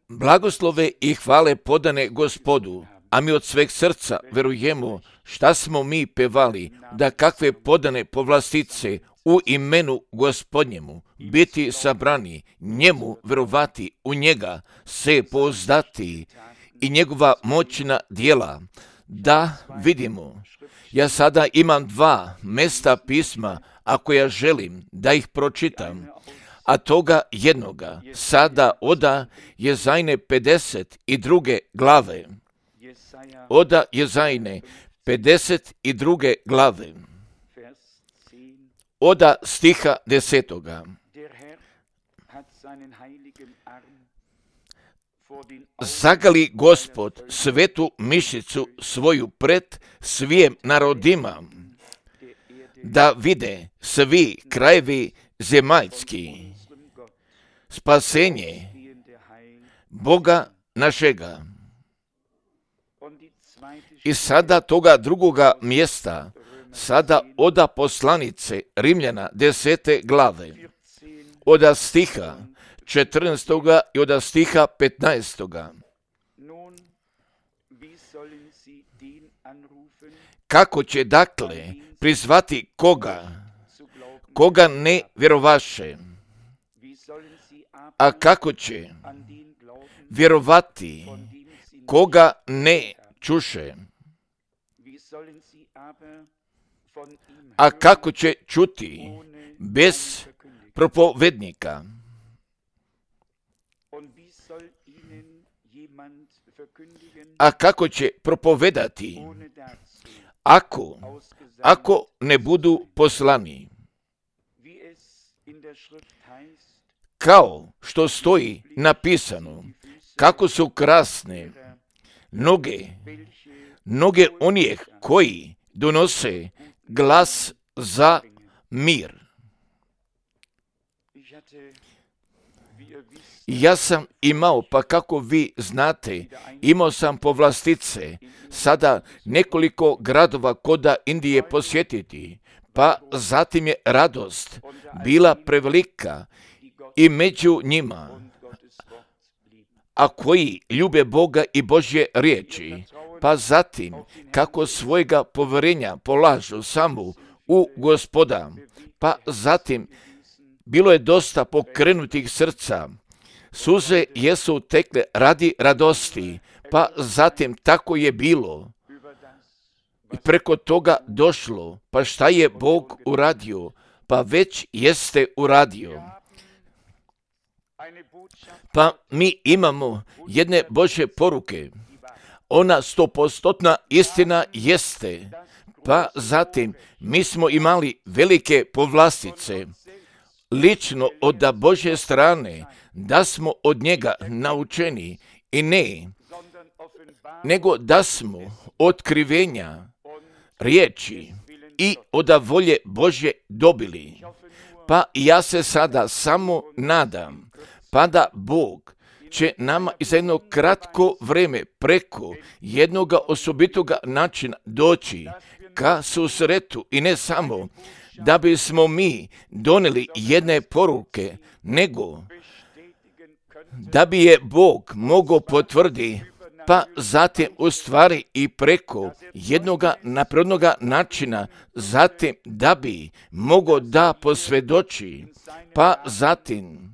Blagoslove i hvale podane Gospodu, a mi od sveg srca verujemo šta smo mi pevali, da kakve podane povlastice u imenu Gospodnjemu biti sabrani, njemu verovati, u njega se pouzdati i njegova moćna djela da vidimo. Ja sada imam 2 mesta pisma, ako ja želim da ih pročitam, a toga jednoga sada oda Jezajne 52. glave. Oda Jezajne 52. glave. Oda stiha 10. Zagali Gospod svetu mišicu svoju pred svijem narodima, da vide svi krajevi zemaljski spasenje Boga našega. I sada toga drugoga mjesta, sada oda poslanice Rimljana 10. glave, oda stiha 14. i oda stiha 15. Kako će dakle prizvati koga ne vjerovaše, a kako će vjerovati koga ne čuše, a kako će čuti bez propovednika, a kako će propovedati ako ne budu poslani. Kao što stoji napisano, kako su krasne noge onih koji donose glas za mir. Ja sam imao, pa kako vi znate, imao sam povlastice sada nekoliko gradova koda Indije posjetiti, pa zatim je radost bila prevelika i među njima, a koji ljube Boga i Božje riječi, pa zatim kako svojega povjerenja polažu samo u Gospoda, pa zatim bilo je dosta pokrenutih srca, suze jesu tekle radi radosti, pa zatim tako je bilo. I preko toga došlo, pa šta je Bog uradio? Pa već jeste uradio. Pa mi imamo jedne Božje poruke. Ona 100% istina jeste. Pa zatim mi smo imali velike povlastice. Lično od Božje strane, da smo od njega naučeni i ne, nego da smo otkrivenja riječi i od volje Božje dobili. Pa ja se sada samo nadam, pa da Bog će nama i za jedno kratko vreme preko jednoga osobitoga načina doći ka susretu i ne samo da bismo mi donijeli jedne poruke, nego da bi je Bog mogao potvrditi, pa zatim u stvari i preko jednoga naprednoga načina, zatim da bi mogao da posvjedoči, pa zatim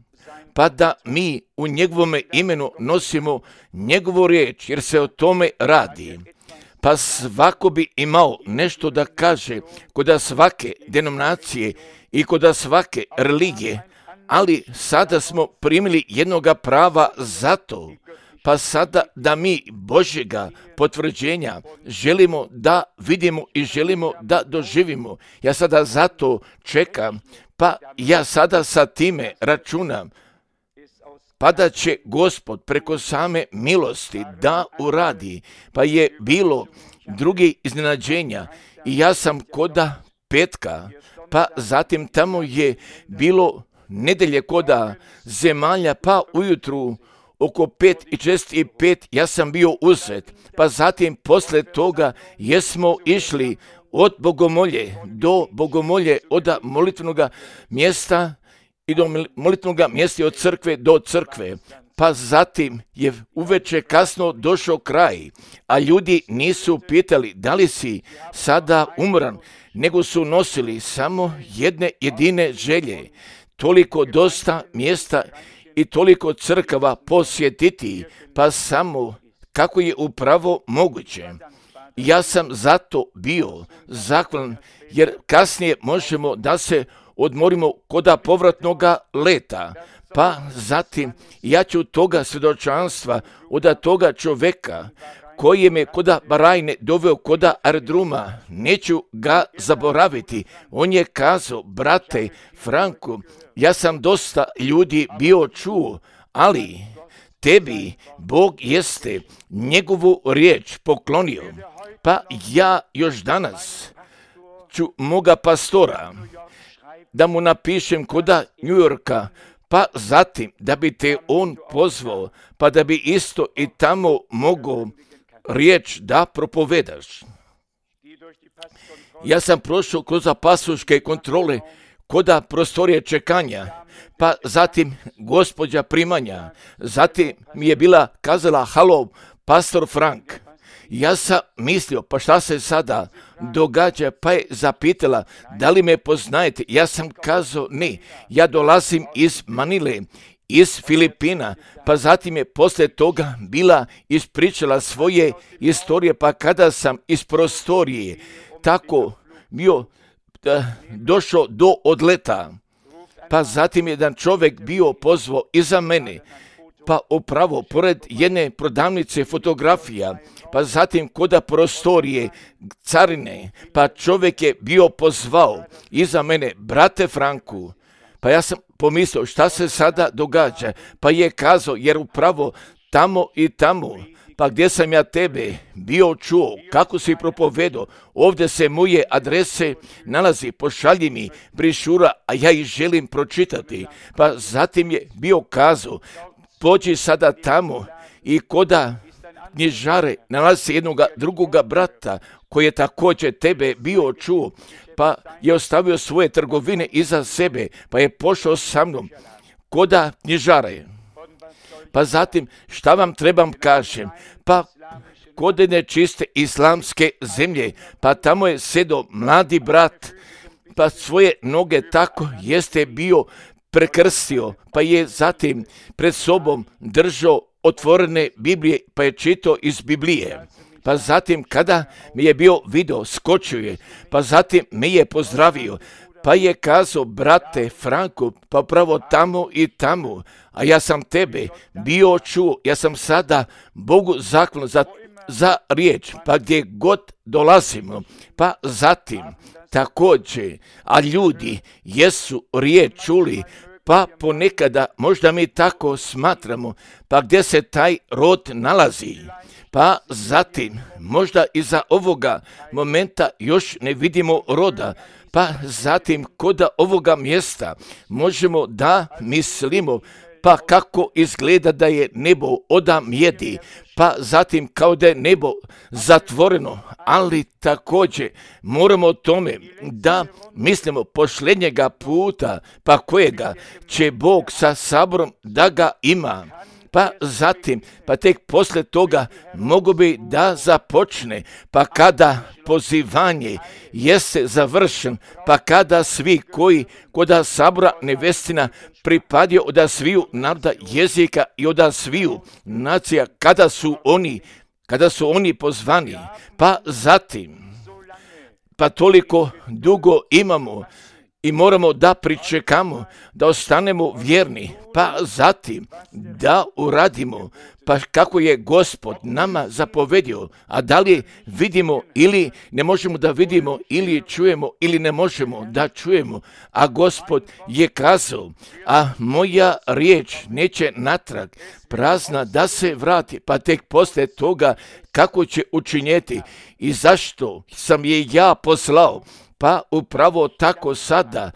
pa da mi u njegovome imenu nosimo njegovu riječ, jer se o tome radi. Pa svako bi imao nešto da kaže kod svake denominacije i kod svake religije, ali sada smo primili jednoga prava za to, pa sada da mi Božjega potvrđenja želimo da vidimo i želimo da doživimo. Ja sada zato čekam, pa ja sada sa time računam, pa da će Gospod preko same milosti da uradi. Pa je bilo drugi iznenađenja i ja sam koda petka, pa zatim tamo je bilo nedelje koda zemalja, pa ujutru oko 5:45 ja sam bio uzet, pa zatim posle toga jesmo išli od bogomolje do bogomolje, od molitvenog mjesta i do molitvenog mjesta od crkve do crkve. Pa zatim je uveče kasno došao kraj, a ljudi nisu pitali da li si sada umran, nego su nosili samo jedne jedine želje, toliko dosta mjesta i toliko crkava posjetiti, pa samo kako je upravo moguće. Ja sam zato bio zahvalan, jer kasnije možemo da se odmorimo koda povratnoga leta. Pa zatim ja ću toga svjedočanstva od toga čovjeka koji je me koda Barajne doveo koda aerodroma, neću ga zaboraviti. On je kazao, brate Franku, ja sam dosta ljudi bio čuo, ali tebi Bog jeste njegovu riječ poklonio. Pa ja još danas ću moga pastora da mu napišem koda New Yorka, pa zatim da bi te on pozvao, pa da bi isto i tamo mogao riječ da propovedaš. Ja sam prošao kroz pasoške kontrole koda prostorije čekanja, pa zatim gospođa primanja, zatim mi je bila kazala, halo, pastor Frank. Ja sam mislio, pa šta se sada događa, pa je zapitala, da li me poznajete? Ja sam kazao, ne, ja dolazim iz Manile, iz Filipina, pa zatim je poslije toga bila ispričala svoje istorije, pa kada sam iz prostorije tako bio došao do odleta, pa zatim jedan čovjek bio pozvao iza mene, pa upravo pored jedne prodavnice fotografija, pa zatim koda prostorije carine, pa čovjek je bio pozvao iza mene, brate Franku, pa ja sam pomislio šta se sada događa, pa je kazao, jer upravo tamo i tamo, pa gdje sam ja tebe bio čuo, kako si propovedao, ovdje se moje adrese nalazi, pošalji mi brišura, a ja ih želim pročitati. Pa zatim je bio kazao, pođi sada tamo i koda knjižare nalazi jednog drugoga brata koji je također tebe bio čuo, pa je ostavio svoje trgovine iza sebe, pa je pošao sa mnom koda knjižare. Pa zatim, šta vam trebam kažem, pa kod jedne čiste islamske zemlje, pa tamo je sedo mladi brat, pa svoje noge tako jeste bio prekrstio, pa je zatim pred sobom držao otvorene Biblije, pa je čitao iz Biblije. Pa zatim kada mi je bio video, skočio je, pa zatim me je pozdravio, pa je kazao, brate Franko, pa pravo tamo i tamo, a ja sam tebe bio čuo, ja sam sada Bogu zahvalan za riječ, pa gdje god dolazimo, pa zatim također, a ljudi jesu riječ čuli, pa ponekada možda mi tako smatramo, pa gdje se taj rod nalazi, pa zatim možda iza ovoga momenta još ne vidimo roda, pa zatim koda ovoga mjesta možemo da mislimo, pa kako izgleda da je nebo oda mjedi, pa zatim kao da je nebo zatvoreno, ali također moramo o tome da mislimo posljednjega puta, pa kojega će Bog sa saborom da ga ima. Pa zatim, pa tek poslije toga mogu bi da započne, pa kada pozivanje jeste završen, pa kada svi koji koda sabora nevestina pripadio od sviju naroda, jezika i od sviju nacija, kada su oni pozvani, pa zatim, pa toliko dugo imamo i moramo da pričekamo, da ostanemo vjerni, pa zatim da uradimo, pa kako je Gospod nama zapovedio, a da li vidimo ili ne možemo da vidimo, ili čujemo ili ne možemo da čujemo, a Gospod je kazao, a moja riječ neće natrag prazna da se vrati, pa tek poslije toga kako će učinjeti i zašto sam je ja poslao. Pa upravo tako sada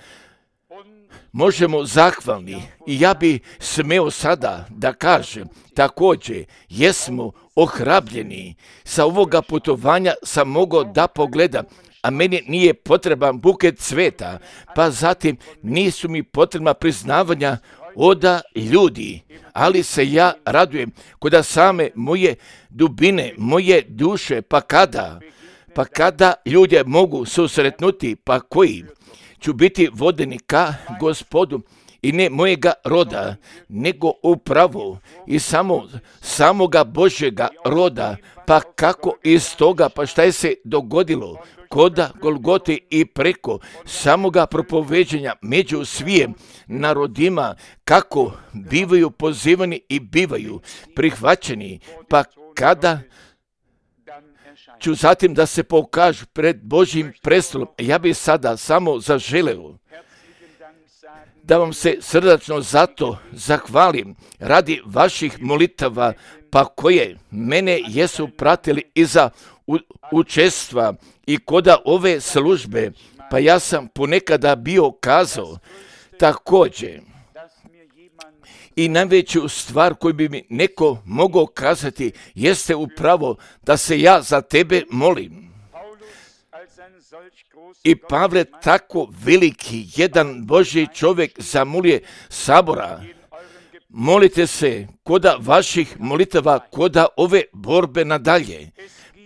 možemo zahvalni i ja bi smeo sada da kažem, također jesmo ohrabljeni. Sa ovoga putovanja sam mogao da pogledam a meni nije potreban buket cveta, pa zatim nisu mi potrebna priznavanja od ljudi, ali se ja radujem kod same moje dubine, moje duše, pa kada ljudi mogu susretnuti, pa koji ću biti vodeni ka Gospodu i ne mojega roda, nego upravo i samoga Božjega roda, pa kako iz toga, pa šta je se dogodilo koda Golgote i preko samoga propoveđenja među svijem narodima, kako bivaju pozivani i bivaju prihvaćeni, pa kada ću zatim da se pokažu pred Božjim prestolom. Ja bih sada samo zaželeo da vam se srdačno zato zahvalim radi vaših molitava, pa koje mene jesu pratili iza učestva i koda ove službe, pa ja sam ponekada bio kazao također. I najveću stvar koju bi mi neko mogao kazati jeste upravo da se ja za tebe molim. I Pavle, tako veliki jedan Božji čovjek zamolje sabora, molite se koda vaših molitava, koda ove borbe nadalje.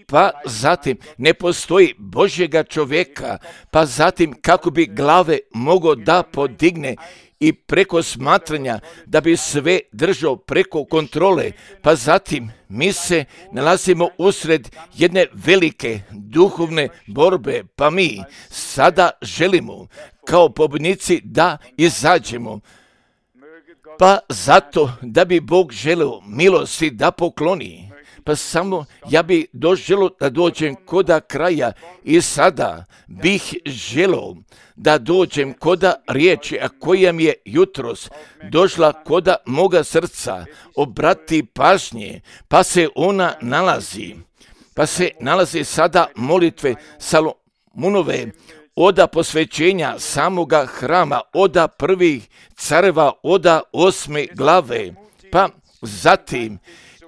Pa zatim ne postoji Božjega čovjeka, pa zatim kako bi glave mogao da podigne i preko smatranja da bi sve držao preko kontrole, pa zatim mi se nalazimo usred jedne velike duhovne borbe, pa mi sada želimo kao pobjednici da izađemo, pa zato da bi Bog želeo milosti da pokloni. Pa samo ja bih doželio da dođem koda kraja i sada bih želio da dođem koda riječi, a koja mi je jutros došla koda moga srca, obrati pažnje, pa se ona nalazi sada molitve Salomonove, oda posvećenja samoga hrama, oda prvih careva, oda 8. glave, pa zatim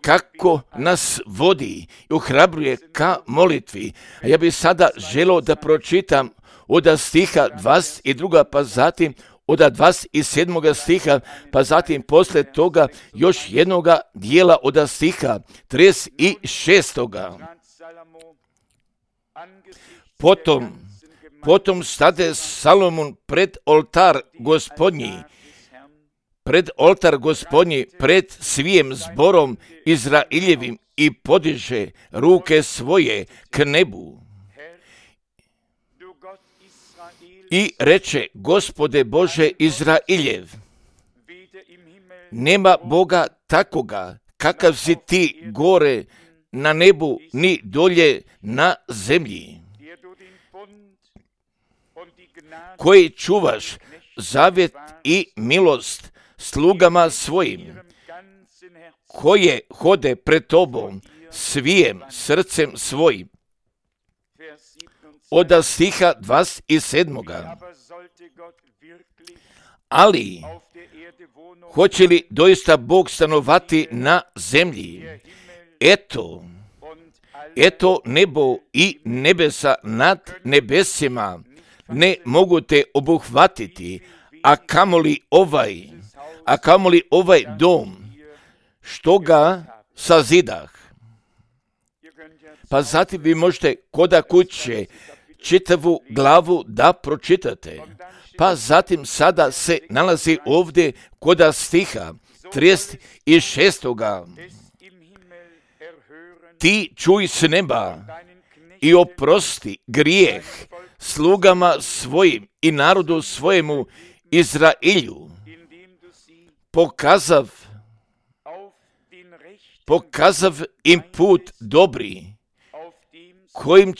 kako nas vodi i ohrabruje ka molitvi. A ja bih sada želio da pročitam od stiha 22. pa zatim od 27. stiha, pa zatim posle toga još jednoga dijela od stiha 36. Potom stade Salomon pred oltar Gospodnji, pred svijem zborom Izraeljevim i podiže ruke svoje k nebu. I reče, Gospode Bože Izraeljev, nema Boga takoga, kakav si ti gore na nebu, ni dolje na zemlji, koji čuvaš zavjet i milost slugama svojim, koje hode pred tobom svijem srcem svojim. Od stiha 27. Ali, hoće li doista Bog stanovati na zemlji? Eto nebo i nebesa nad nebesima ne mogu te obuhvatiti, a kamoli ovaj dom, što ga sazidah. Pa zatim vi možete koda kuće čitavu glavu da pročitate. Pa zatim sada se nalazi ovdje koda stiha 36. Ti čuj s neba i oprosti grijeh slugama svojim i narodu svojemu Izraelju, pokazav im put dobri, kojim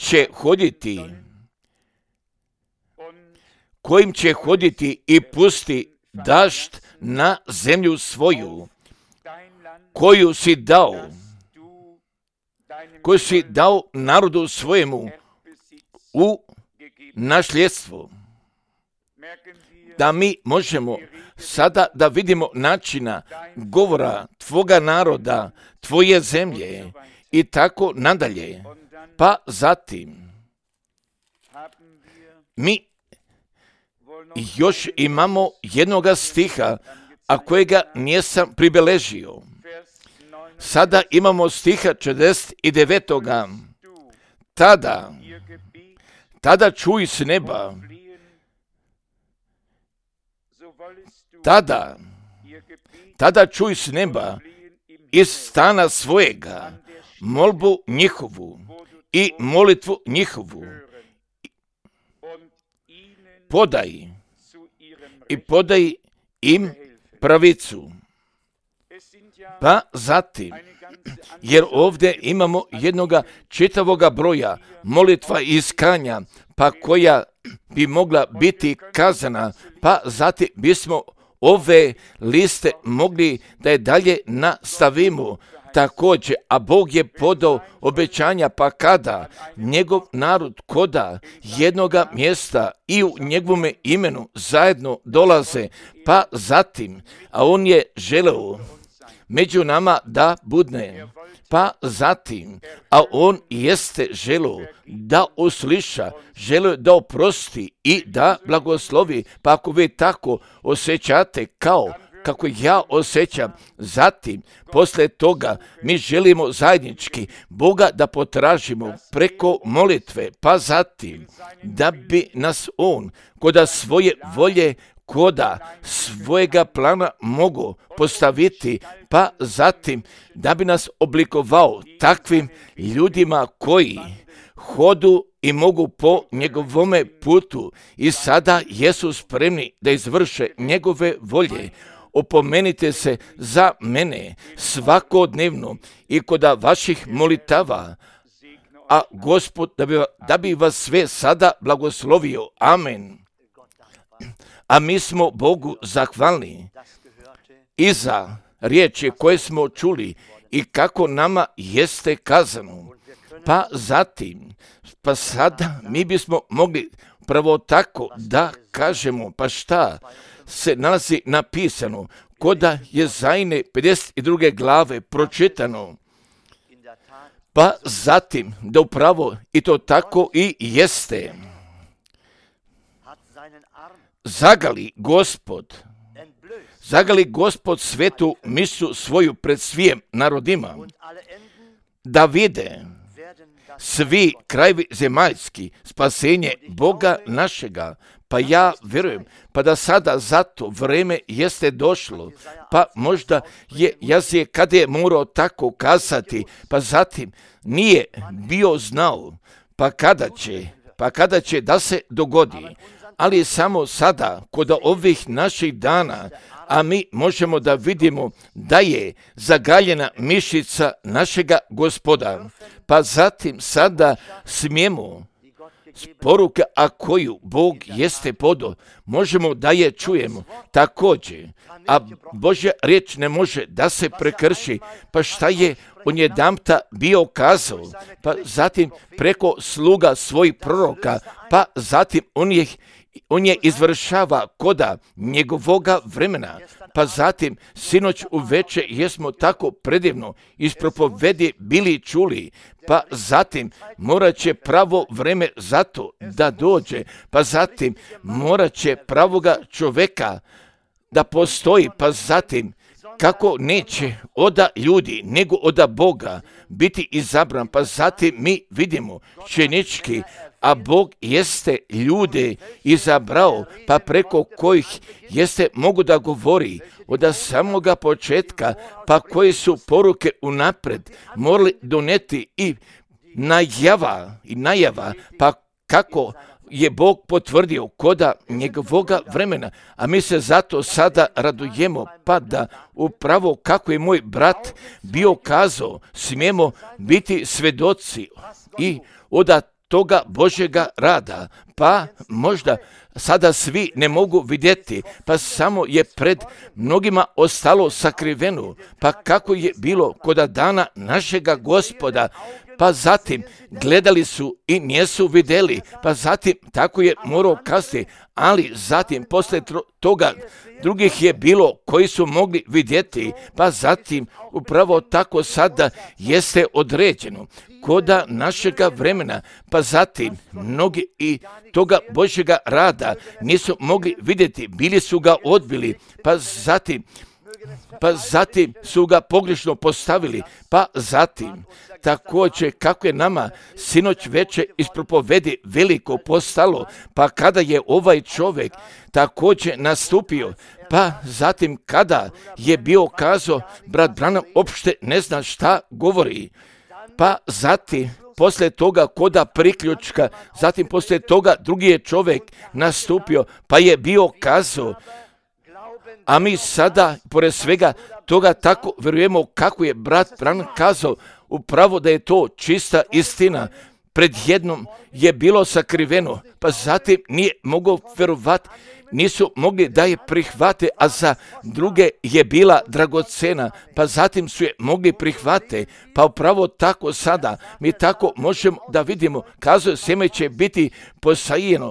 će hoditi i pusti dašt na zemlju svoju, koju si dao narodu svojemu u nasljedstvo. Da mi možemo sada da vidimo načina govora tvoga naroda, tvoje zemlje i tako nadalje. Pa zatim Mi još imamo jednoga stiha, a kojega nisam pribeležio. Sada imamo stiha 49. Tada čuj s neba, tada čuj s neba iz stana svojega molbu njihovu i molitvu njihovu. Podaj im pravicu. Pa zatim, jer ovdje imamo jednoga čitavoga broja molitva i iskanja, pa koja bi mogla biti kazana, pa zatim bismo ove liste mogli da je dalje nastavimo. Također, a Bog je podao obećanja, pa kada njegov narod koda jednoga mjesta i u njegovome imenu zajedno dolaze, pa zatim, a on je želeo među nama da budne, pa zatim, a on jeste želeo da usliša, želeo da oprosti i da blagoslovi, pa ako vi tako osjećate kao kako ja osjećam, zatim, posle toga, mi želimo zajednički Boga da potražimo preko molitve, pa zatim, da bi nas on koda svoje volje, koda svojega plana mogu postaviti, pa zatim, da bi nas oblikovao takvim ljudima koji hodu i mogu po njegovome putu i sada jesu spremni da izvrše njegove volje. Opomenite se za mene svakodnevno i koda vaših molitava, a Gospod da bi vas sve sada blagoslovio. Amen. A mi smo Bogu zahvalni i za riječi koje smo čuli i kako nama jeste kazano. Pa zatim, pa sada mi bismo mogli pravo tako da kažemo, pa šta se nalazi napisano, koda Jezajine 52. glave pročitano, pa zatim da upravo i to tako i jeste. Zagali Gospod svetu misu svoju pred svijem narodima, da vide svi krajevi zemaljski spasenje Boga našega. Pa ja vjerujem, pa da sada zato vreme jeste došlo, pa možda je Jazije kada je morao tako kazati, pa zatim nije bio znao, pa kada će da se dogodi, ali samo sada, kod ovih naših dana, a mi možemo da vidimo da je zagaljena mišica našega Gospoda, pa zatim sada smijemo poruka, a koju Bog jeste podao, možemo da je čujemo također, a Božja riječ ne može da se prekrši, pa šta je on jedanputa bio kazao, pa zatim preko sluga svojih proroka, pa zatim on je izvršava koda njegovoga vremena, pa zatim sinoć uveče jesmo tako predivno iz propovedi bili čuli, pa zatim morat će pravo vreme za to da dođe, pa zatim morat će pravoga čoveka da postoji, pa zatim kako neće oda ljudi, nego oda Boga biti izabran, pa zatim mi vidimo činički, a Bog jeste ljude izabrao, pa preko kojih jeste mogu da govori od samoga početka, pa koje su poruke unapred morali doneti i najava, pa kako je Bog potvrdio koda njegovoga vremena, a mi se zato sada radujemo, pa da upravo kako je moj brat bio kazao, smijemo biti svedoci i od toga Božjega rada, pa možda sada svi ne mogu vidjeti, pa samo je pred mnogima ostalo sakriveno, pa kako je bilo koda dana našega Gospoda, pa zatim gledali su i nisu vidjeli, pa zatim tako je morao kasnije, ali zatim posle toga drugih je bilo koji su mogli vidjeti, pa zatim upravo tako sada jeste određeno koda našega vremena, pa zatim mnogi i toga Božjega rada nisu mogli vidjeti, bili su ga odbili, pa zatim su ga pogrešno postavili, pa zatim također kako je nama sinoć veče iz propovedi veliko postalo, pa kada je ovaj čovjek također nastupio, pa zatim kada je bio kazao, brat Branham opšte ne zna šta govori, pa zatim poslije toga koda priključka, zatim poslije toga drugi je čovjek nastupio, pa je bio kazao, a mi sada, pored svega toga, tako vjerujemo kako je brat Branham kazao, upravo da je to čista istina. Pred jednom je bilo sakriveno, pa zatim nije mogao vjerovati, nisu mogli da je prihvate, a za druge je bila dragocena, pa zatim su je mogli prihvate, pa upravo tako sada mi tako možemo da vidimo, kazuje sjeme će biti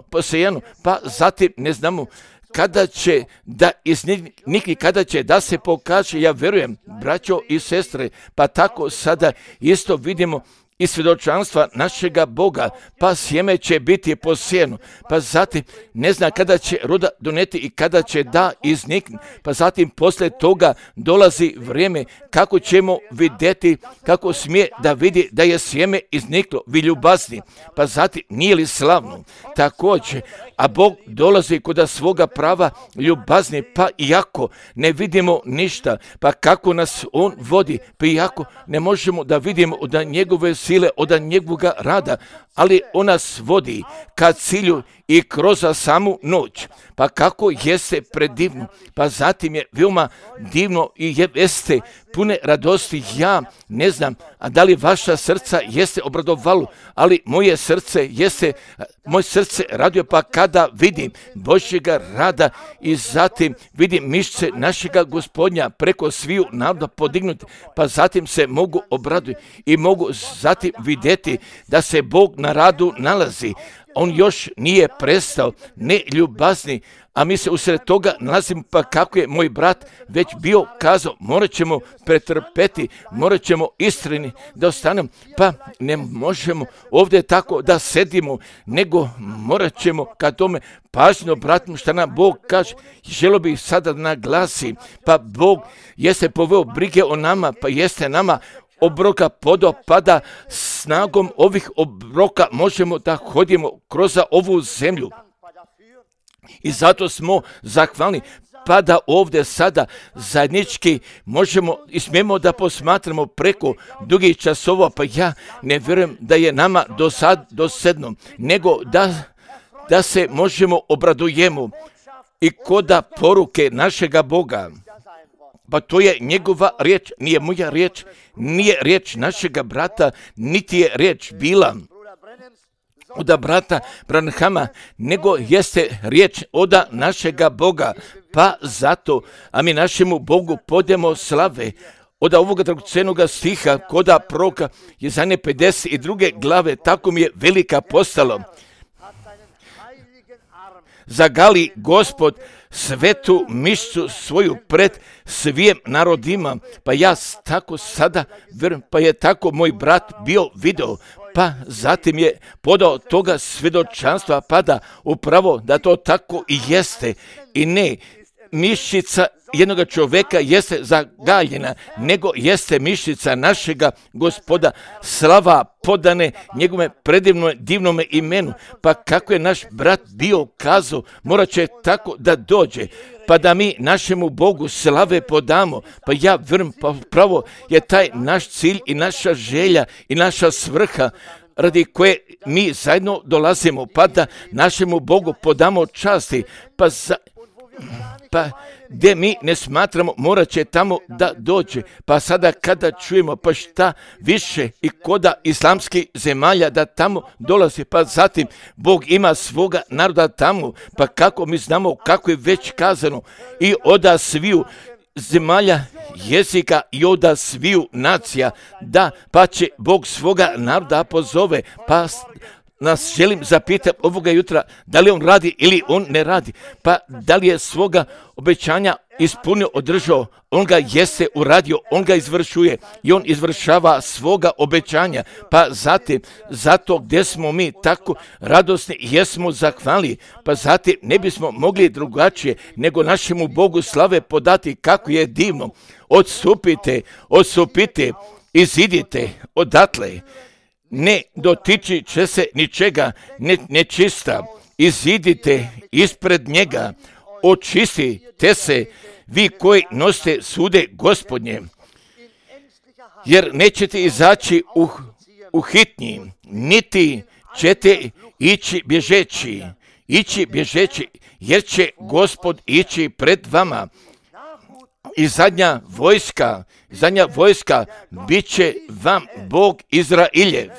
posejano, pa zatim ne znamo kada će da iznikni, kada će da se pokaže, ja vjerujem, braćo i sestre, pa tako sada isto vidimo i svjedočanstva našega Boga, pa sjeme će biti posijeno, pa zatim ne zna kada će roda doneti i kada će da iznikne, pa zatim poslije toga dolazi vrijeme kako ćemo vidjeti, kako smije da vidi da je sjeme izniklo, vi ljubazni, pa zatim nije li slavno, također, a Bog dolazi kod svoga prava ljubazni, pa iako ne vidimo ništa, pa kako nas On vodi, pa iako ne možemo da vidimo od njegove sile, od njegovoga rada, ali On nas vodi ka cilju i kroz samu noć. Pa kako jeste predivno, pa zatim je veoma divno i jeste pune radosti. Ja ne znam, a da li vaša srca jeste obradovalo, ali moje srce radio pa kada vidim Božjega rada i zatim vidim mišće našega Gospodnja preko sviju naroda podignuti, pa zatim se mogu obraditi i mogu zatim vidjeti da se Bog na radu nalazi. On još nije prestao, ne ljubazni, a mi se usred toga nalazimo, pa kako je moj brat već bio kazao, morat ćemo pretrpeti, morat ćemo istreni da ostanemo, pa ne možemo ovdje tako da sedimo, nego morat ćemo ka tome pažnjo bratim šta nam Bog kaže. Želo bih sada da naglasim, pa Bog jeste poveo brige o nama, pa jeste nama obroka podopada, snagom ovih obroka možemo da hodimo kroz ovu zemlju. I zato smo zahvalni, pa da ovdje sada zajednički možemo i smijemo da posmatramo preko dugih časova, pa ja ne vjerujem da je nama dosadno, nego da se možemo obradujemo i koda poruke našega Boga. Pa to je njegova riječ, nije moja riječ, nije riječ našega brata, niti je riječ bila od brata Branhama, nego jeste riječ od našega Boga. Pa zato, a mi našemu Bogu podemo slave. Od ovoga dragocenoga stiha koda proroka Jesaje 52. glave, tako mi je velika postalo. Zagali Gospod svetu mišću svoju pred svijem narodima, pa ja tako sada verujem, pa je tako moj brat bio video, pa zatim je podao toga svjedočanstva, pa da upravo da to tako i jeste i ne mišica jednog čovjeka jeste zagaljena, nego jeste mišica našega Gospoda, slava podane njegove predivnome divnome imenu. Pa kako je naš brat bio kazao, morat će tako da dođe, pa da mi našemu Bogu slave podamo. Pa ja vjerujem, pa pravo je taj naš cilj i naša želja i naša svrha radi koje mi zajedno dolazimo, pa da našemu Bogu podamo časti, pa gdje mi ne smatramo, morat će tamo da dođe. Pa sada kada čujemo, pa šta više i koda islamskih zemalja da tamo dolazi, pa zatim Bog ima svoga naroda tamo, pa kako mi znamo, kako je već kazano, i od sviju zemalja jezika i od sviju nacija, da pa će Bog svoga naroda pozove, pa nas želim zapitati ovoga jutra, da li on radi ili on ne radi, pa da li je svoga obećanja ispunio, održao, on ga jeste uradio, on ga izvršuje i on izvršava svoga obećanja, pa zatim, zato gdje smo mi tako radosni, jesmo zahvali, pa zatim ne bismo mogli drugačije nego našemu Bogu slave podati kako je divno. Odsupite, izidite odatle, ne dotiči će se ničega nečista, izidite ispred njega, očistite se, vi koji nosite sude Gospodnje, jer nećete izaći u hitnji, niti ćete ići bježeći, jer će Gospod ići pred vama. I zadnja vojska bit će vam Bog Izrailjev.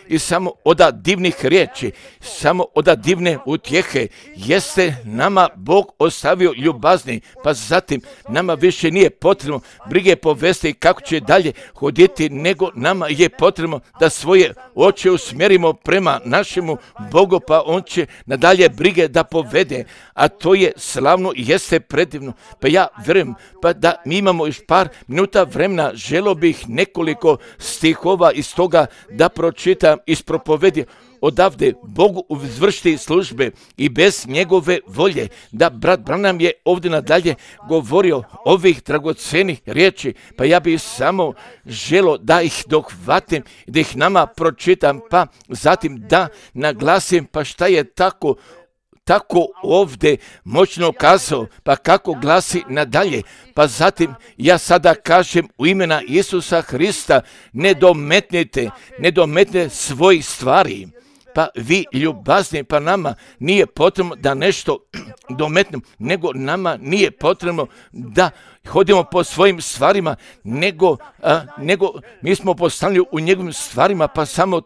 I samo od divnih riječi, samo od divne utjehe jeste nama Bog ostavio ljubazni, pa zatim nama više nije potrebno brige povesti kako će dalje hoditi, nego nama je potrebno da svoje oči usmjerimo prema našemu Bogu, pa on će nadalje brige da povede, a to je slavno i jeste predivno. Pa ja vjerujem, pa da mi imamo još par minuta vremena, želio bih nekoliko stihova iz toga da pročitam iz propovedi odavde Bogu izvršiti službe i bez njegove volje, da brat Branham je ovdje nadalje govorio ovih dragocenih riječi, pa ja bih samo želio da ih dohvatim, da ih nama pročitam, pa zatim da naglasim pa šta je tako ovdje moćno kazao, pa kako glasi nadalje. Pa zatim ja sada kažem u imena Isusa Hrista, ne dometnite svojih stvari. Pa vi ljubazni, pa nama nije potrebno da nešto dometnemo, nego nama nije potrebno da hodimo po svojim stvarima, nego mi smo postavljeni u njegovim stvarima, pa samo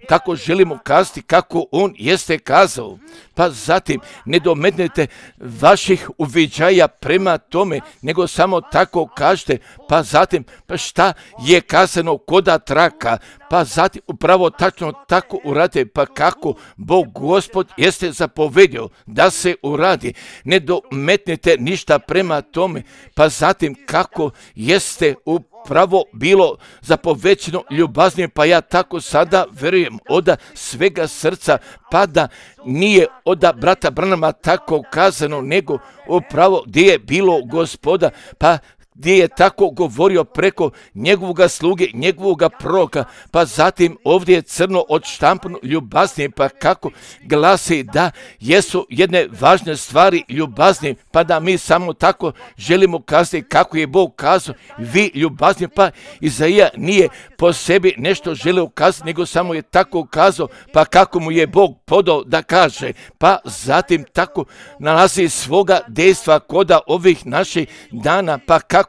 tako želimo kazati kako on jeste kazao. Pa zatim ne dometnite vaših uviđaja prema tome, nego samo tako kažete, pa zatim pa šta je kazano koda traka, pa zatim upravo tačno tako urade, pa kako Bog Gospod jeste zapovedio da se uradi. Ne dometnite ništa prema tome, pa zatim kako jeste upravo bilo zapovećeno ljubaznim, pa ja tako sada vjerujem od svega srca, pa da nije od brata Branhama tako kazano, nego upravo gdje je bilo Gospoda, pa gdje je tako govorio preko njegovoga sluge, njegovoga proroka, pa zatim ovdje je crno odštampano ljubazni, pa kako glasi da jesu jedne važne stvari ljubazni, pa da mi samo tako želimo kazati kako je Bog kazao, vi ljubazni, pa Izaija nije po sebi nešto želio kazati, nego samo je tako kazao, pa kako mu je Bog podao da kaže, pa zatim tako nalazi svoga dejstva koda ovih naših dana, pa kako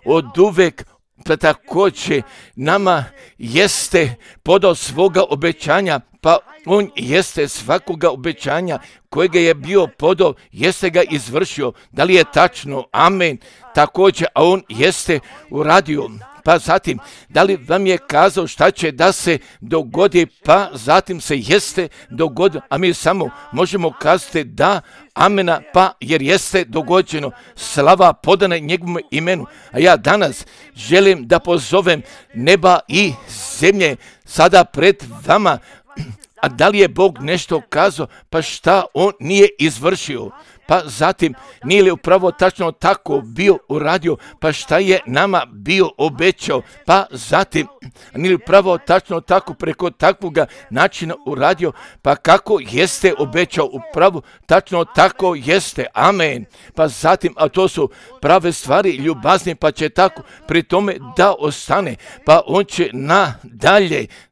od uvek pa također nama jeste podao svoga obećanja, pa on jeste svakoga obećanja kojega je bio podao, jeste ga izvršio. Da li je tačno? Amen. Također, a on jeste uradio. Pa zatim, da li vam je kazao šta će da se dogodi, pa zatim se jeste dogodilo, a mi samo možemo kazati da, amena, pa jer jeste dogođeno, slava podana njegovom imenu. A ja danas želim da pozovem neba i zemlje sada pred vama, a da li je Bog nešto kazao, pa šta on nije izvršio? Pa zatim, nije li upravo tačno tako bio uradio, pa šta je nama bio obećao, pa zatim, nije li upravo tačno tako preko takvoga načina uradio, pa kako jeste obećao, upravo tačno tako jeste, amen. Pa zatim, a to su prave stvari ljubazni, pa će tako pri tome da ostane, pa on će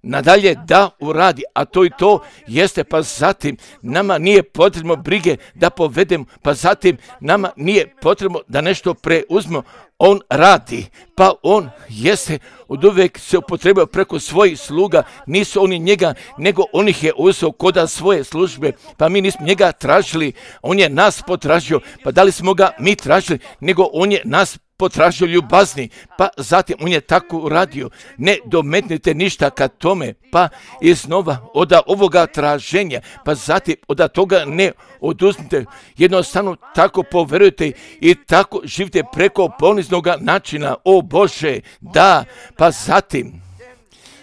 nadalje da uradi, a to i to jeste, pa zatim, nama nije potrebno brige da povedemo, pa zatim nama nije potrebno da nešto preuzmemo, on radi, pa on jeste od uvijek se upotrebio preko svojih sluga, nisu oni njega, nego on ih je uzeo koda svoje službe, pa mi nismo njega tražili, on je nas potražio, pa da li smo ga mi tražili, nego on je nas potražio ljubazni, pa zatim on je tako uradio. Ne dometnite ništa ka tome, pa iznova od ovoga traženja, pa zatim od toga ne oduzmite, jednostavno tako poverujte i tako živite preko poniznog načina, o Bože, da, pa zatim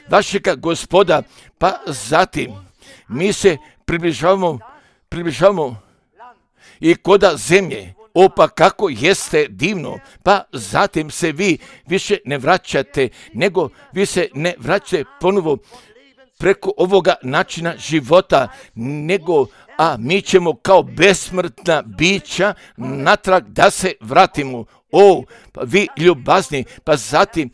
vašega Gospoda, pa zatim mi se približavamo i koda zemlje. O, pa kako jeste divno, pa zatim se vi više ne vraćate, nego vi se ne vraćate ponovo preko ovoga načina života, nego, a mi ćemo kao besmrtna bića natrag da se vratimo. O, pa vi ljubazni, pa zatim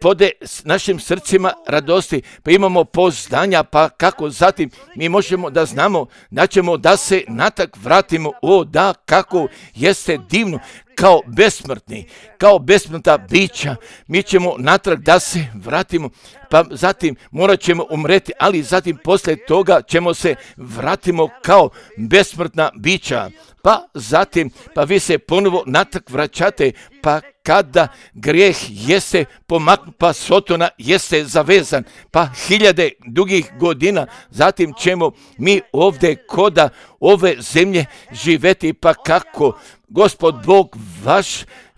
pode s našim srcima radosti, pa imamo poznanja, pa kako zatim mi možemo da znamo da ćemo da se natak vratimo, o da, kako jeste divno, kao besmrtni, kao besmrtna bića, mi ćemo natrag da se vratimo, pa zatim morat ćemo umreti, ali zatim poslije toga ćemo se vratimo kao besmrtna bića, pa zatim, pa vi se ponovo natrag vraćate, pa kada grijeh jeste pomaknut, pa Sotona jeste zavezan, pa hiljade dugih godina, zatim ćemo mi ovdje koda ove zemlje živeti, pa kako Gospod Bog vaš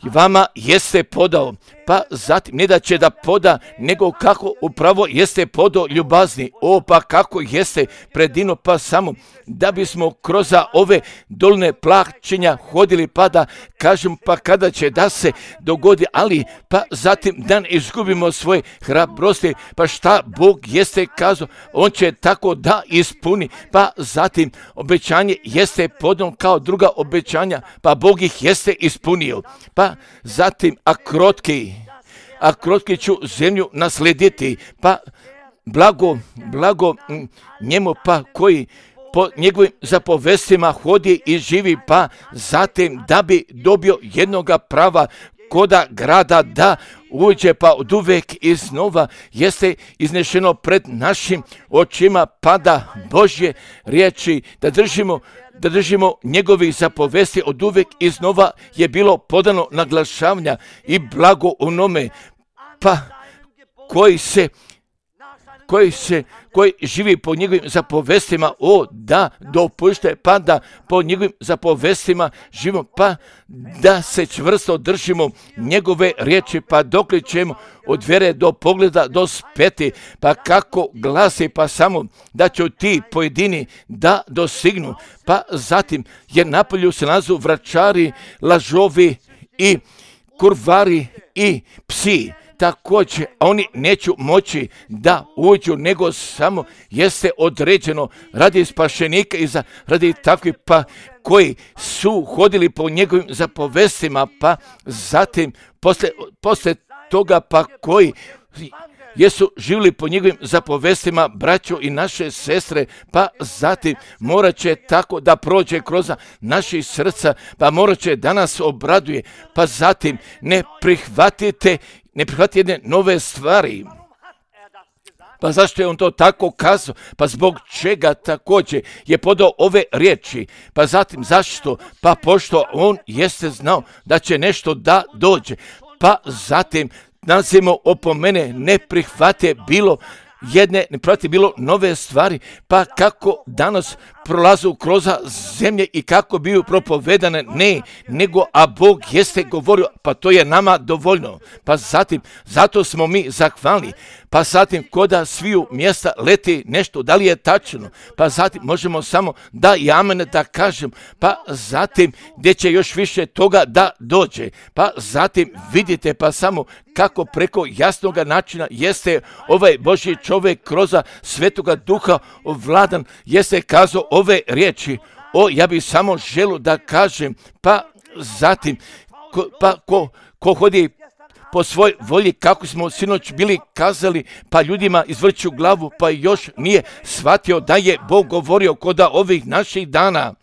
vama jeste podao, pa zatim ne da će da poda, nego kako upravo jeste podao ljubazni, o pa kako jeste predino, pa samo da bismo kroz ove dolne plaćenja hodili, pa da kažem, pa kada će da se dogodi, ali pa zatim da ne izgubimo svoje hrabrosti, pa šta Bog jeste kazao, on će tako da ispuni, pa zatim obećanje jeste podano kao druga obećanja, pa Bog ih jeste ispunio, pa zatim a krotki ću zemlju naslediti, pa blago njemu, pa koji po njegovim zapovestima hodi i živi, pa zatim da bi dobio jednoga prava koda grada da uđe, pa od uvek iznova jeste iznešeno pred našim očima, pa da Božje riječi da držimo njegovih zapovesti, od uvek iznova je bilo podano naglašavanja i blago onome, pa koji živi po njegovim zapovestima, o da dopušte, pa da po njegovim zapovestima živimo, pa da se čvrsto držimo njegove riječi, pa dokle ćemo od vjere do pogleda do speti, pa kako glasi, pa samo da će ti pojedini da dosignu, pa zatim jer napolju se nalazu vračari, lažovi i kurvari i psi, također, a oni neću moći da uđu, nego samo jeste određeno radi spašenika i radi takvih, pa koji su hodili po njegovim zapovestima, pa zatim posle toga, pa koji jesu živjeli po njegovim zapovestima, braćo i naše sestre, pa zatim morat će tako da prođe kroz naših srca, pa morat će da nas obraduje, pa zatim ne prihvatite jedne nove stvari. Pa zašto je on to tako kazao? Pa zbog čega također je podao ove riječi? Pa zatim zašto? Pa pošto on jeste znao da će nešto da dođe. Pa zatim nazimo opomene, ne prihvate bilo nove stvari, pa kako danas prolazu kroz zemlje i kako biju propovedane, ne, nego a Bog jeste govorio, pa to je nama dovoljno. Pa zatim, zato smo mi zahvalni, pa zatim koda sviju mjesta leti nešto, da li je tačno, pa zatim možemo samo da i amen da kažem, pa zatim gdje će još više toga da dođe, pa zatim vidite, pa samo kako preko jasnog načina jeste ovaj Božji čovjek kroz Svetoga Duha ovladan, jeste kazao ove riječi. Ja bih samo želio da kažem, pa zatim ko hodi po svoj volji, kako smo sinoć bili kazali, pa ljudima izvrću glavu, pa još nije shvatio da je Bog govorio kod ovih naših dana.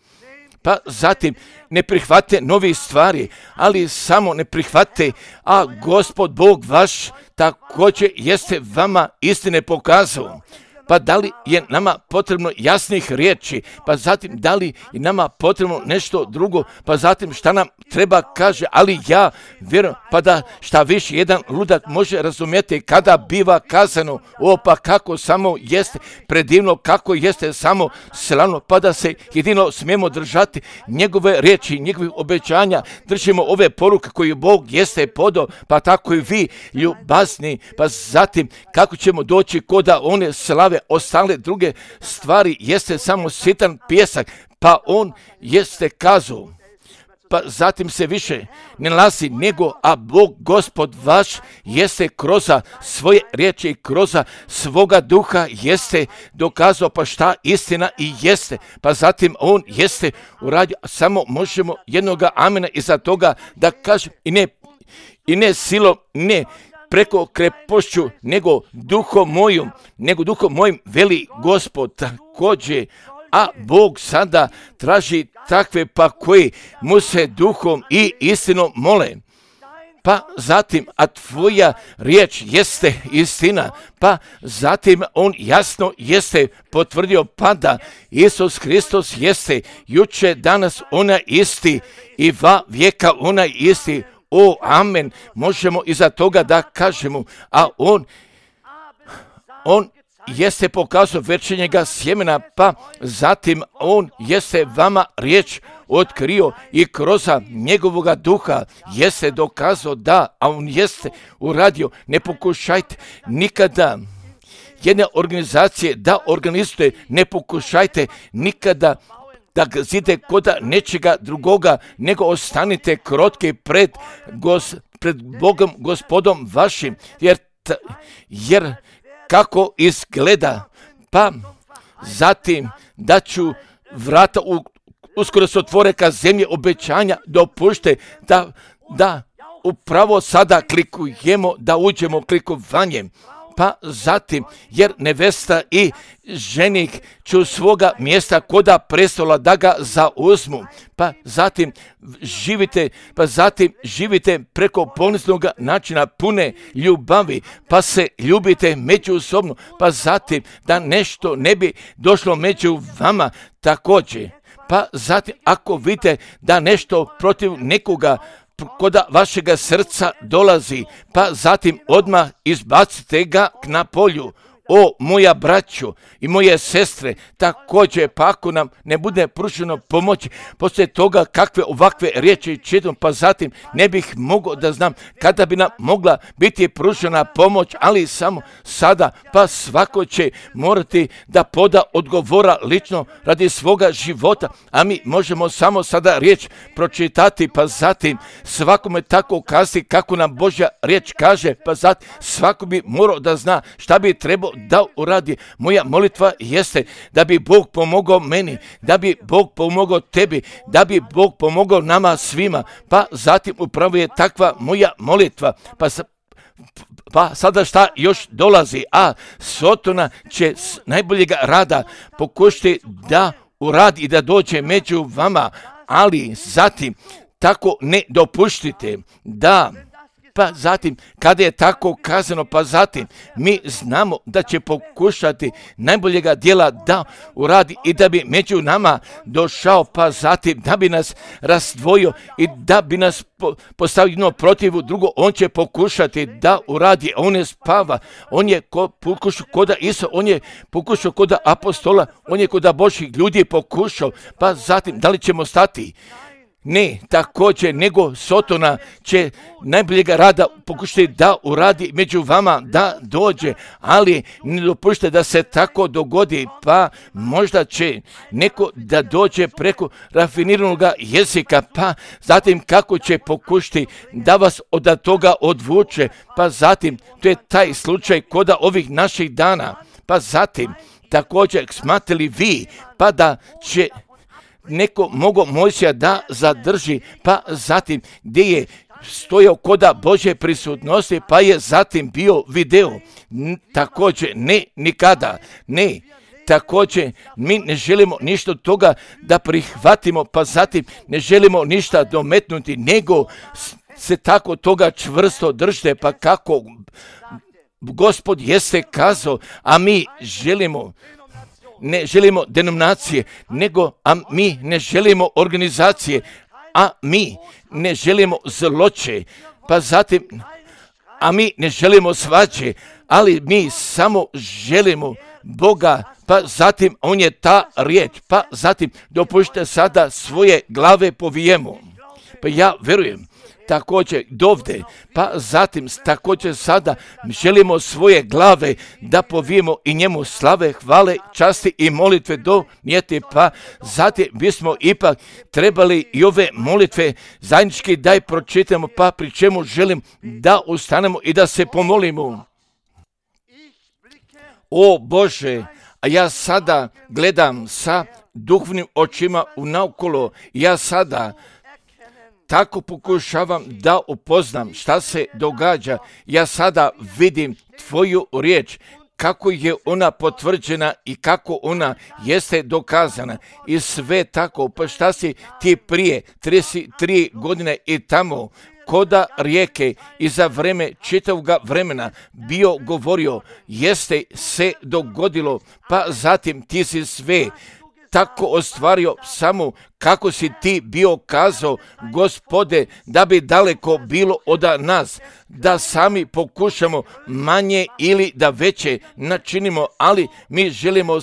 pa zatim ne prihvate novi stvari, ali samo ne prihvate, a Gospod Bog vaš također jeste vama istine pokazao. Pa da li je nama potrebno jasnih riječi, pa zatim da li je nama potrebno nešto drugo, pa zatim šta nam treba kaže, ali ja vjerujem, pa da šta više jedan ludak može razumjeti kada biva kazano, pa kako samo jeste predivno, kako jeste samo slavno, pa da se jedino smijemo držati njegove riječi, njegovih obećanja, držimo ove poruke koje Bog jeste podao, pa tako i vi ljubazni, pa zatim kako ćemo doći koda one slave, ostale druge stvari jeste samo sitan pijesak, pa on jeste kazao, pa zatim se više ne nalazi nego, a Bog Gospod vaš jeste kroz svoje riječi, kroz svoga duha jeste dokazao, pa šta istina i jeste, pa zatim on jeste uradio, samo možemo jednoga amena iza toga da kažem, i ne silom, ne preko krepošću, nego duhom mojim veli Gospod također, a Bog sada traži takve pa koji mu se duhom i istinom mole. Pa zatim, a tvoja riječ jeste istina, pa zatim on jasno jeste potvrdio pa da Isus Hristos jeste juče, danas ona isti i va vijeka ona isti. Amen, možemo iza toga da kažemo, a on jeste pokazao večernjega sjemena, pa zatim on jeste vama riječ otkrio i kroz njegovoga duha jeste dokazao da, a on jeste uradio. Ne pokušajte nikada jedne organizacije da organizujete, ne pokušajte nikada da gazite koda nečega drugoga, nego ostanite krotki pred Bogom, Gospodom vašim, jer kako izgleda, pa zatim da ću vrata uskoro se otvore ka zemlje obećanja, dopušte da upravo sada klikujemo, da uđemo klikovanjem. Pa zatim, jer nevesta i ženik ću svoga mjesta koda prestola da ga zauzmu, pa zatim živite preko poniznog načina pune ljubavi, pa se ljubite međusobno, pa zatim da nešto ne bi došlo među vama također. Pa zatim ako vidite da nešto protiv nekoga koda vašega srca dolazi, pa zatim odmah izbacite ga na polju. Moja braćo i moje sestre, također pa ako nam ne bude pruženo pomoć, poslije toga kakve ovakve riječi čitam, pa zatim ne bih mogao da znam kada bi nam mogla biti pružena pomoć, ali samo sada, pa svako će morati da poda odgovora lično radi svoga života, a mi možemo samo sada riječ pročitati, pa zatim svakome tako kazati kako nam Božja riječ kaže, pa zatim svako bi morao da zna šta bi trebao da uradi. Moja molitva jeste da bi Bog pomogao meni, da bi Bog pomogao tebi, da bi Bog pomogao nama svima, pa zatim upravo je takva moja molitva, pa sada šta još dolazi, a Sotona će s najboljega rada pokušati da uradi i da dođe među vama, ali zatim tako ne dopuštite da, pa zatim kada je tako kazano, pa zatim mi znamo da će pokušati najboljega djela da uradi i da bi među nama došao, pa zatim da bi nas razdvojio i da bi nas postavio jedno protiv drugo, on će pokušati da uradi, on ne spava, on je pokušao koda Iso, on je pokušao koda apostola, on je koda Božih ljudi pokušao, pa zatim da li ćemo stati? Ne, također, nego Sotona će najboljega rada pokušati da uradi među vama, da dođe, ali ne dopušte da se tako dogodi, pa možda će neko da dođe preko rafiniranog jezika, pa zatim kako će pokušati da vas od toga odvuče, pa zatim to je taj slučaj koda ovih naših dana, pa zatim također smatrali vi, pa da će neko mogao Mojsija da zadrži, pa zatim gdje je stojao koda Božje prisutnosti, pa je zatim bio video. Također, ne, nikada, ne. također mi ne želimo ništa od toga da prihvatimo, pa zatim ne želimo ništa dometnuti, nego se tako toga čvrsto držite, pa kako Gospod jeste kazao, a mi ne želimo denominacije, mi ne želimo organizacije, a mi ne želimo zloće, pa zatim, a mi ne želimo svađe, ali mi samo želimo Boga, pa zatim on je ta riječ, pa zatim dopušte sada svoje glave povijemo. Pa ja verujem također dovde, pa zatim također sada želimo svoje glave da povijemo i njemu slave, hvale, časti i molitve donijeti, pa zatim bismo ipak trebali i ove molitve zajednički da je pročitamo, pa pri čemu želim da ustanemo i da se pomolimo. O Bože, a ja sada gledam sa duhovnim očima naokolo, ja sada tako pokušavam da upoznam šta se događa. Ja sada vidim tvoju riječ, kako je ona potvrđena i kako ona jeste dokazana. I sve tako, pa šta si ti prije 33 godine i tamo koda rijeke i za vreme čitavog vremena bio govorio, jeste se dogodilo, pa zatim ti si sve tako ostvario samo kako si ti bio kazao, Gospode, da bi daleko bilo od nas, da sami pokušamo manje ili da veće načinimo, ali mi želimo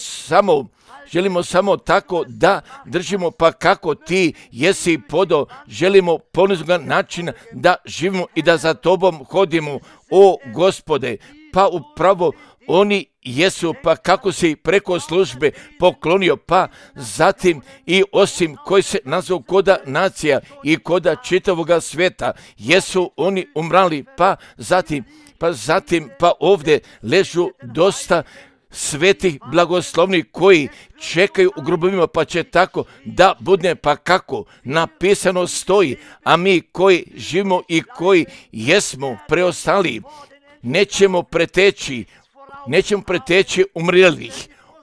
samo tako da držimo, pa kako ti jesi podao, želimo poniznog načina da živimo i da za tobom hodimo, o Gospode, pa upravo oni jesu, pa kako si preko službe poklonio, pa zatim i osim koji se nazvao koda nacija i koda čitavoga svijeta, jesu oni umrali, pa ovdje ležu dosta svetih blagoslovnih koji čekaju u grobovima, pa će tako da bude, pa kako napisano stoji, a mi koji živimo i koji jesmo preostali, nećemo preteći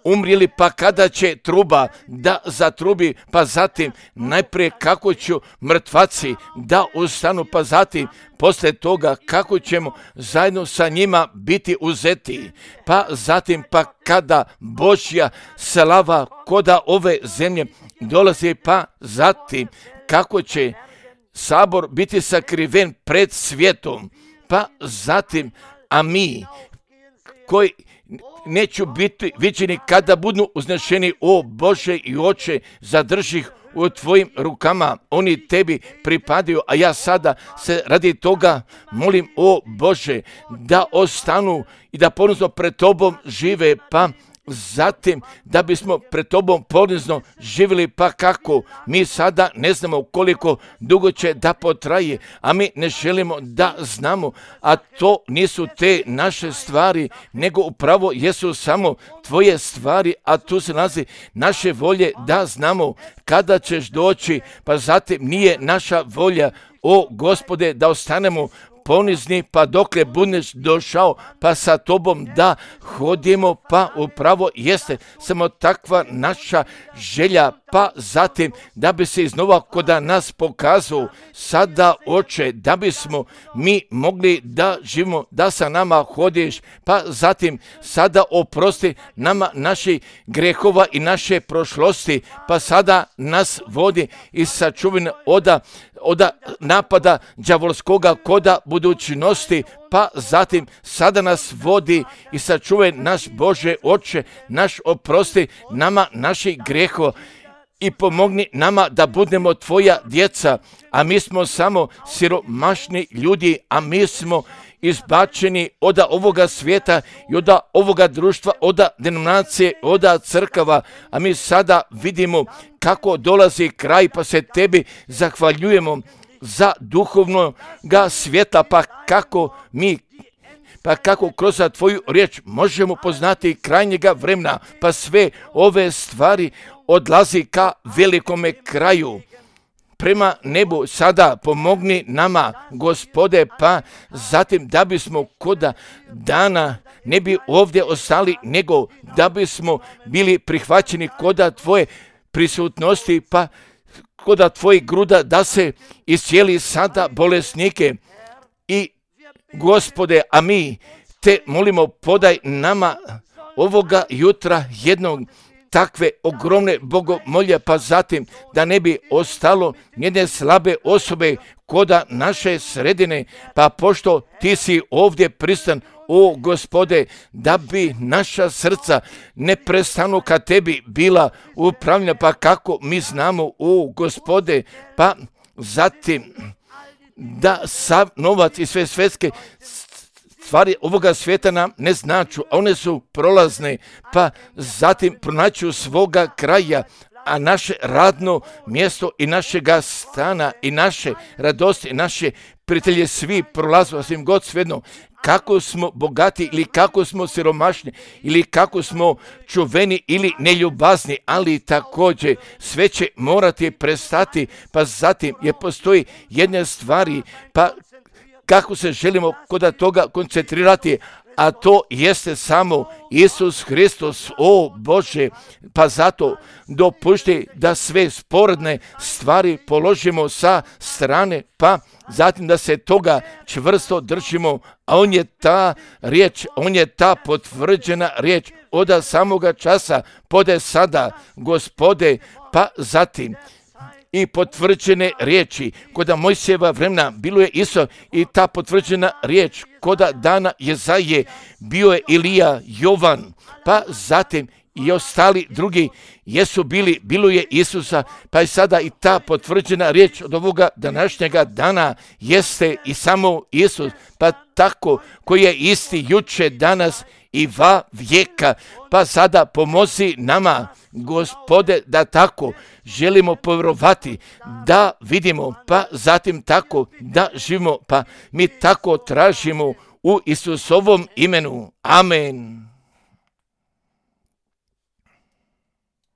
umrili, pa kada će truba da zatrubi, pa zatim najprije kako će mrtvaci da ustanu, pa zatim poslije toga kako ćemo zajedno sa njima biti uzeti, pa zatim pa kada Božja slava koda ove zemlje dolazi, pa zatim kako će sabor biti sakriven pred svijetom, pa zatim, a mi koji neću biti viđeni kada budu uznešeni, o Bože i Oče, zadrži ih u tvojim rukama, oni tebi pripadaju, a ja sada se radi toga molim, o Bože, da ostanu i da ponizno pred tobom žive, pa zatim da bismo pred tobom ponizno živjeli, pa kako mi sada ne znamo koliko dugo će da potraje, a mi ne želimo da znamo, a to nisu te naše stvari, nego upravo jesu samo tvoje stvari, a tu se nalazi naše volje da znamo kada ćeš doći, pa zatim nije naša volja, o Gospode, da ostanemo ponizni, pa dokle budeš došao, pa sa tobom da hodimo, pa upravo jeste samo takva naša želja, pa zatim da bi se iznova koda nas pokazao sada, Oče, da bismo mi mogli da živimo, da sa nama hodiš, pa zatim sada oprosti nama naših grehova i naše prošlosti, pa sada nas vodi i sačuvaj od napada đavolskoga koda budućnosti, pa zatim sada nas vodi i sačuvaj naš Bože Oče, naš oprosti nama naših grehova i pomogni nama da budemo tvoja djeca, a mi smo samo siromašni ljudi, a mi smo izbačeni od ovoga svijeta i od ovoga društva, od denominacije, od crkava, a mi sada vidimo kako dolazi kraj, pa se tebi zahvaljujemo za duhovnoga svijeta, pa kako kroz tvoju riječ možemo poznati krajnjega vremena, pa sve ove stvari odlazi ka velikome kraju. prema nebu, sada pomogni nama, Gospode, pa zatim da bismo koda dana ne bi ovdje ostali, nego da bismo bili prihvaćeni koda Tvoje prisutnosti, pa koda Tvojih gruda da se iscijeli sada bolesnike. I Gospode, a mi Te molimo, podaj nama ovoga jutra jednog takve ogromne bogomolje, pa zatim da ne bi ostalo jedne slabe osobe koda naše sredine, pa pošto Ti si ovdje pristan, o Gospode, da bi naša srca neprestano ka Tebi bila upravljena, pa kako mi znamo, o Gospode, pa zatim da sav novac i sve svetske stvari ovoga svijeta nam ne značu, a one su prolazne, pa zatim pronaću svoga kraja, a naše radno mjesto i našega stana i naše radosti, naše prijatelje svi prolazu, svim god svejedno, kako smo bogati ili kako smo siromašni ili kako smo čuveni ili neljubazni, ali također sve će morati prestati, pa zatim je postoji jedne stvari, pa kako se želimo kod toga koncentrirati, a to jeste samo Isus Hristos, o Bože, pa zato dopušti da sve sporedne stvari položimo sa strane, pa zatim da se toga čvrsto držimo, a on je ta riječ, on je ta potvrđena riječ od samoga časa, pode sada, Gospode, pa zatim i potvrđene riječi. Koda Mojsijeva vremena bilo je isto i ta potvrđena riječ. Koda dana Jezaje bio je Ilija, Jovan, pa zatim i ostali drugi jesu bili, bilo je Isusa, pa je sada i ta potvrđena riječ od ovoga današnjega dana jeste i samo Isus, pa tako koji je isti juče, danas i va vijeka, pa sada pomozi nama, Gospode, da tako želimo povjerovati, da vidimo, pa zatim tako da živimo, pa mi tako tražimo u Isusovom imenu. Amen.